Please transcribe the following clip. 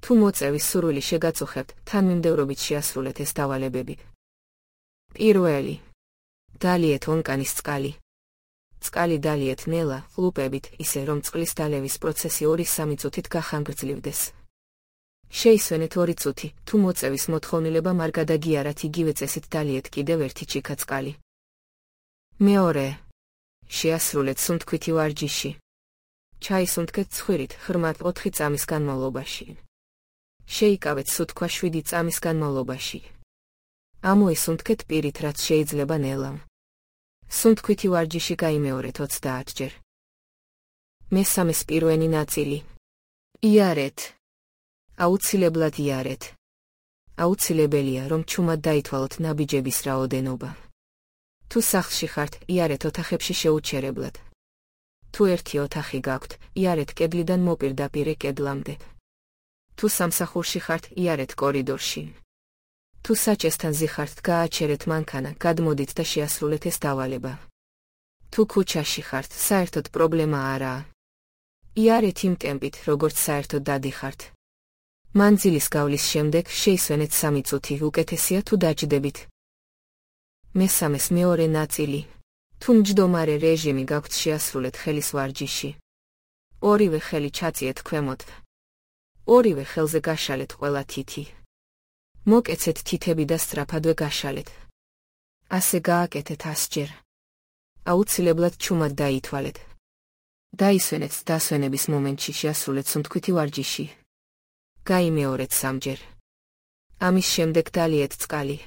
თუ მოწევის სურვილი შეგაწუხებთ, თანმიმდევრობით შეასრულეთ ეს დავალებები. პირველი. დალიეთ ონკანის წყალი. წყალი დალიეთ ნელა, ყლუპებით, ისე რომ წყლის დალევის პროცესი 2-3 წუთით გახანგრძლივდეს. შეისვენეთ 2 წუთი, თუ მოწევის მოთხოვნილება არ გადაგიარათ, იგივე წესით დალიეთ კიდევ 1 ჩიქა წყალი. მეორე. შეასრულეთ სუნთქვითი ვარჯიში. ჩაისუნთქეთ ცხვირით ღრმად 4 წამის განმავლობაში. შეიკავეთ სუნთქვა 7 წამის განმავლობაში. ამოისუნთქეთ პირით, რაც შეიძლება ნელამ. სუნთქვითი ვარჯიში გაიმეორეთ 30 ჯერ. მესამეს პირველი ნაწილი. იარეთ. აუცილებლად იარეთ. აუცილებელია, რომ ჩუმად დაითვალოთ ნაბიჯების რაოდენობა. თუ სახლში ხართ, იარეთ ოთახებში შეუჩერებლად. თუ ერთი ოთახი გაქვთ, იარეთ კედლიდან მოპირდაპირე კედლამდე. თუ სამსახურში ხართ, იარეთ კორიდორში. თუ საჭესთან ზიხართ, გააჩერეთ მანქანა, გადმოდით და შეასრულეთ ეს დავალება. თუ ქუჩაში ხართ, საერთოდ პრობლემა არაა. იარეთ იმ ტემპით, როგორც საერთოდ დადიხართ. მანძილის გავლის შემდეგ შეისვენეთ 3 წუთი, უკეთესია თუ დაჯდებით. მესამეს მეორე ნაწილი. თუ მჯდომარე რეჟიმი გაქვთ, შეასრულეთ ხელის ვარჯიში. ორივე ხელი ჩაწიეთ ქვემოთ. ორივე ხელზე გაშალეთ ყველა თითი. მოკეცეთ თითები და სწრაფადვე გაშალეთ. ასე გააკეთეთ 100 ჯერ. აუცილებლად ჩუმად დაითვალეთ. დაისვენეთ დასვენების მომენტში შეასრულეთ სუნთქვითი ვარჯიში. გაიმეორეთ 3 ჯერ. ამის შემდეგ დალიეთ წყალი.